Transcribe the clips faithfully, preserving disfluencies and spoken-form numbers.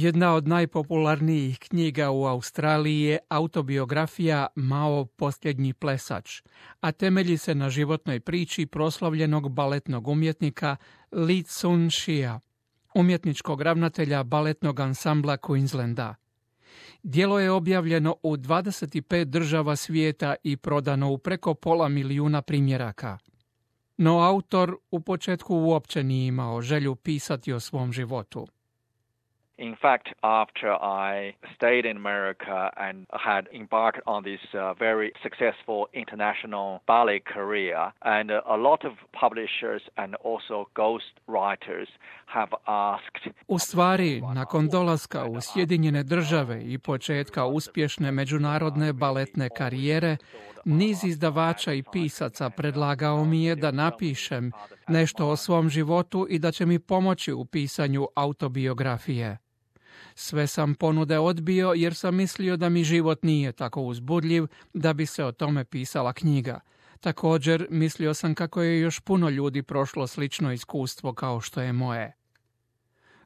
Jedna od najpopularnijih knjiga u Australiji je autobiografija Mao posljednji plesač, a temelji se na životnoj priči proslavljenog baletnog umjetnika Lee Tsun-shia, umjetničkog ravnatelja baletnog ansambla Queenslanda. Djelo je objavljeno u dvadeset pet država svijeta i prodano u preko pola milijuna primjeraka. No autor u početku uopće nije imao želju pisati o svom životu. In fact, after I stayed in America and had embarked on this uh, very successful international ballet career, and uh, a lot of publishers and also ghost writers have asked... U stvari, nakon dolaska u Sjedinjene države i početka uspješne međunarodne baletne karijere, niz izdavača i pisaca predlagao mi je da napišem nešto o svom životu i da će mi pomoći u pisanju autobiografije. Sve sam ponude odbio jer sam mislio da mi život nije tako uzbudljiv da bi se o tome pisala knjiga. Također, mislio sam kako je još puno ljudi prošlo slično iskustvo kao što je moje.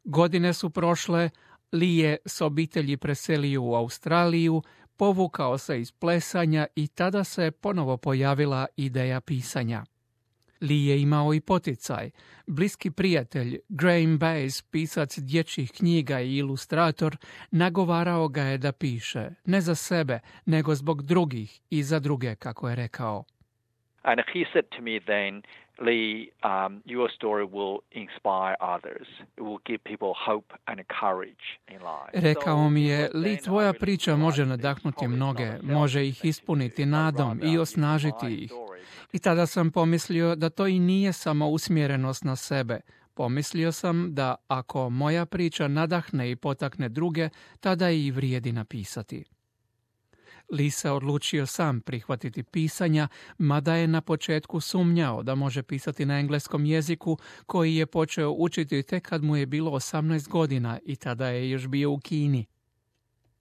Godine su prošle, Lee je s obitelji preselio u Australiju, povukao se iz plesanja i tada se ponovo pojavila ideja pisanja. Lee je imao i poticaj. Bliski prijatelj Graham Bass, pisac dječjih knjiga i ilustrator, nagovarao ga je da piše, ne za sebe, nego zbog drugih i za druge, kako je rekao. And he said to me then, Lee, um, your story will inspire others. It will give people hope and courage in life. Rekao mi je, Lee, tvoja priča može nadahnuti mnoge, može ih ispuniti nadom i osnažiti ih. I tada sam pomislio da to i nije samo usmjerenost na sebe. Pomislio sam da ako moja priča nadahne i potakne druge, tada i vrijedi napisati. Lee se odlučio sam prihvatiti pisanja, mada je na početku sumnjao da može pisati na engleskom jeziku, koji je počeo učiti tek kad mu je bilo osamnaest godina i tada je još bio u Kini.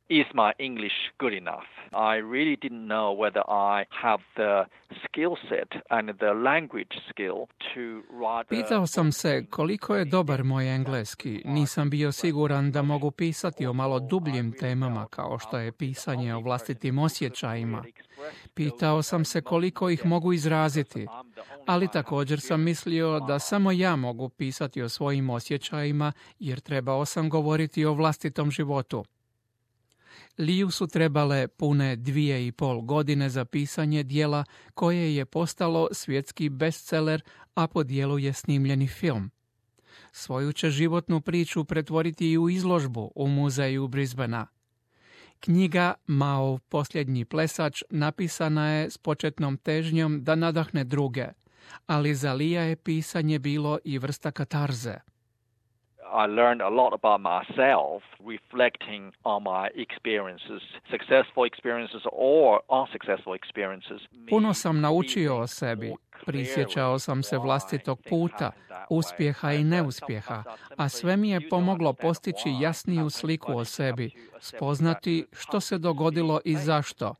Is my English good enough? I really didn't know whether I have the skill set and the language skill to write. Pitao sam se koliko je dobar moj engleski. Nisam bio siguran da mogu pisati o malo dubljim temama kao što je pisanje o vlastitim osjećajima. Pitao sam se koliko ih mogu izraziti, ali također sam mislio da samo ja mogu pisati o svojim osjećajima jer trebao sam govoriti o vlastitom životu. Liu su trebale pune dvije i pol godine za pisanje djela koje je postalo svjetski bestseller, a po djelu je snimljeni film. Svoju će životnu priču pretvoriti i u izložbu u muzeju Brisbanea. Knjiga Mao posljednji plesač napisana je s početnom težnjom da nadahne druge, ali za Lea je pisanje bilo i vrsta katarze. I learned a lot about myself, reflecting on my experiences, successful experiences or unsuccessful experiences. Puno sam naučio o sebi. Prisjećao sam se vlastitog puta, uspjeha i neuspjeha, a sve mi je pomoglo postići jasniju sliku o sebi, spoznati što se dogodilo i zašto.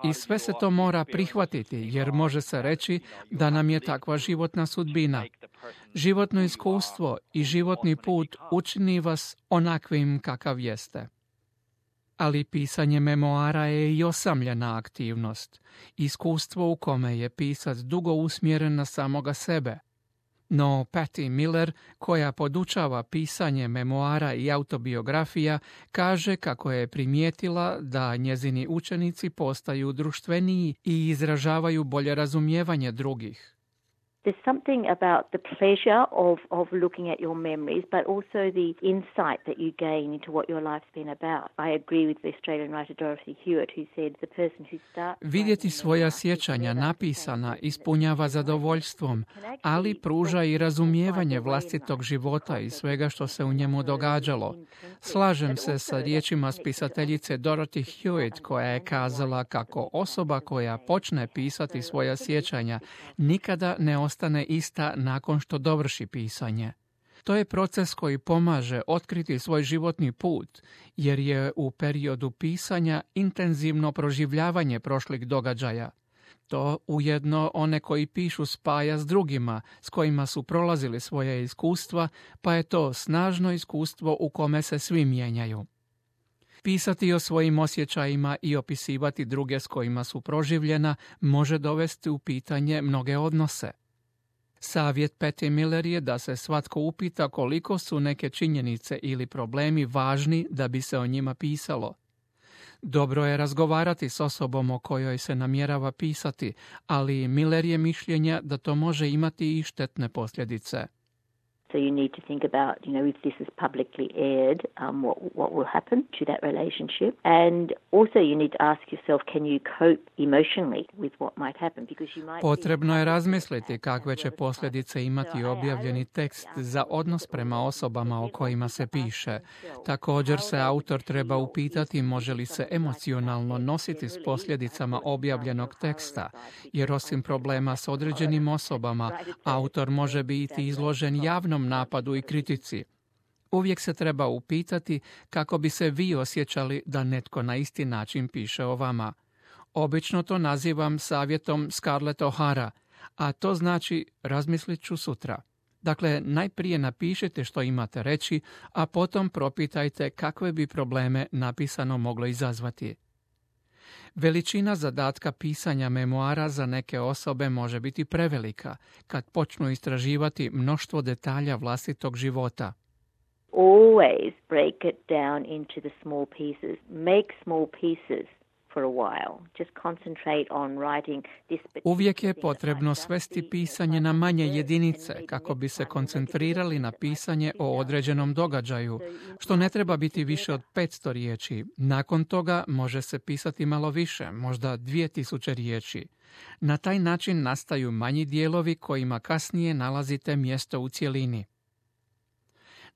I sve se to mora prihvatiti, jer može se reći da nam je takva životna sudbina. Životno iskustvo i životni put učini vas onakvim kakav jeste. Ali pisanje memoara je i osamljena aktivnost, iskustvo u kome je pisac dugo usmjeren na samoga sebe. No Patty Miller, koja podučava pisanje memoara i autobiografija, kaže kako je primijetila da njezini učenici postaju društveniji i izražavaju bolje razumijevanje drugih. There's something about the pleasure of, of looking at your memories, but also the insight that you gain into what your life's been about. I agree with the Australian writer Dorothy Hewitt, who said the person who starts... Vidjeti svoja sjećanja napisana ispunjava zadovoljstvom, ali pruža i razumijevanje vlastitog života i svega što se u njemu događalo. Slažem se sa riječima spisateljice Dorothy Hewitt, koja je kazala kako osoba koja počne pisati svoja sjećanja nikada ne ostane ostane ista nakon što dovrši pisanje. To je proces koji pomaže otkriti svoj životni put, jer je u periodu pisanja intenzivno proživljavanje prošlih događaja. To ujedno one koji pišu spaja s drugima, s kojima su prolazili svoje iskustva, pa je to snažno iskustvo u kome se svi mijenjaju. Pisati o svojim osjećajima i opisivati druge s kojima su proživljena može dovesti u pitanje mnoge odnose. Savjet Patty Miller je da se svatko upita koliko su neke činjenice ili problemi važni da bi se o njima pisalo. Dobro je razgovarati s osobom o kojoj se namjerava pisati, ali Miller je mišljenja da to može imati i štetne posljedice. So you need to think about, you know, if this is publicly aired, um, what what will happen to that relationship, and also you need to ask yourself, can you cope emotionally with what might happen, because you might. Potrebno je razmisliti kakve će posljedice imati objavljeni tekst za odnos prema osobama o kojima se piše. Također se autor treba upitati može li se emocionalno nositi s posljedicama objavljenog teksta, jer osim problema s određenim osobama, autor može biti izložen javnom napadu i kritici. Uvijek se treba upitati kako bi se vi osjećali da netko na isti način piše o vama. Obično to nazivam savjetom Scarlett O'Hara, a to znači razmislit ću sutra. Dakle, najprije napišite što imate reći, a potom propitajte kakve bi probleme napisano moglo izazvati. Veličina zadatka pisanja memoara za neke osobe može biti prevelika kad počnu istraživati mnoštvo detalja vlastitog života. Always break it down into the small pieces. Make small pieces for a while. Just concentrate on writing this. Uvijek je potrebno svesti pisanje na manje jedinice kako bi se koncentrirali na pisanje o određenom događaju, što ne treba biti više od petsto riječi. Nakon toga može se pisati malo više, možda dvije tisuće riječi. Na taj način nastaju manji dijelovi kojima kasnije nalazite mjesto u cjelini.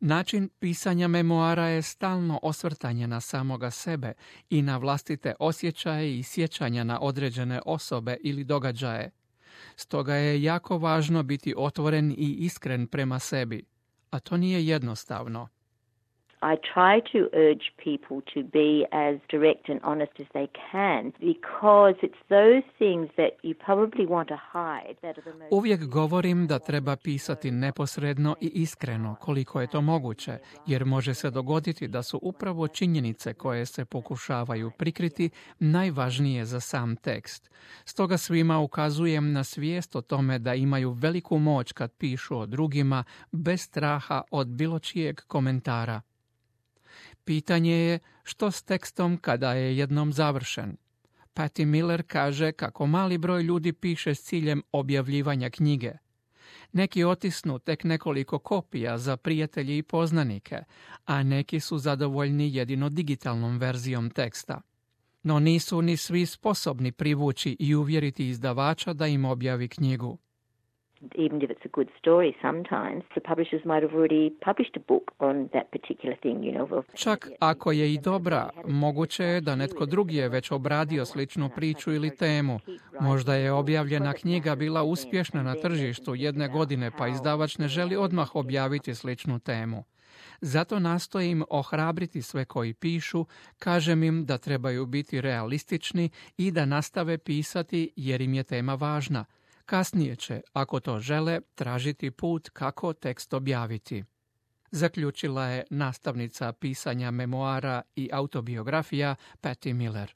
Način pisanja memoara je stalno osvrtanje na samoga sebe i na vlastite osjećaje i sjećanja na određene osobe ili događaje. Stoga je jako važno biti otvoren i iskren prema sebi, a to nije jednostavno. I try to urge people to be as direct and honest as they can, because it's those things that you probably want to hide that are the most. Uvijek govorim da treba pisati neposredno i iskreno koliko je to moguće, jer može se dogoditi da su upravo činjenice koje se pokušavaju prikriti najvažnije za sam tekst. Stoga svima ukazujem na svijest o tome da imaju veliku moć kad pišu o drugima bez straha od bilo čijeg komentara. Pitanje je što s tekstom kada je jednom završen. Patty Miller kaže kako mali broj ljudi piše s ciljem objavljivanja knjige. Neki otisnu tek nekoliko kopija za prijatelje i poznanike, a neki su zadovoljni jedino digitalnom verzijom teksta. No nisu ni svi sposobni privući i uvjeriti izdavača da im objavi knjigu. Even if it's a good story, sometimes the publishers might have already published a book on that particular thing, you know. Čak ako je i dobra, moguće je da netko drugi je već obradio sličnu priču ili temu. Možda je objavljena knjiga bila uspješna na tržištu jedne godine, pa izdavač ne želi odmah objaviti sličnu temu. Zato nastojim ohrabriti sve koji pišu, kažem im da trebaju biti realistični i da nastave pisati jer im je tema važna. Kasnije će, ako to žele, tražiti put kako tekst objaviti. Zaključila je nastavnica pisanja memoara i autobiografija Patty Miller.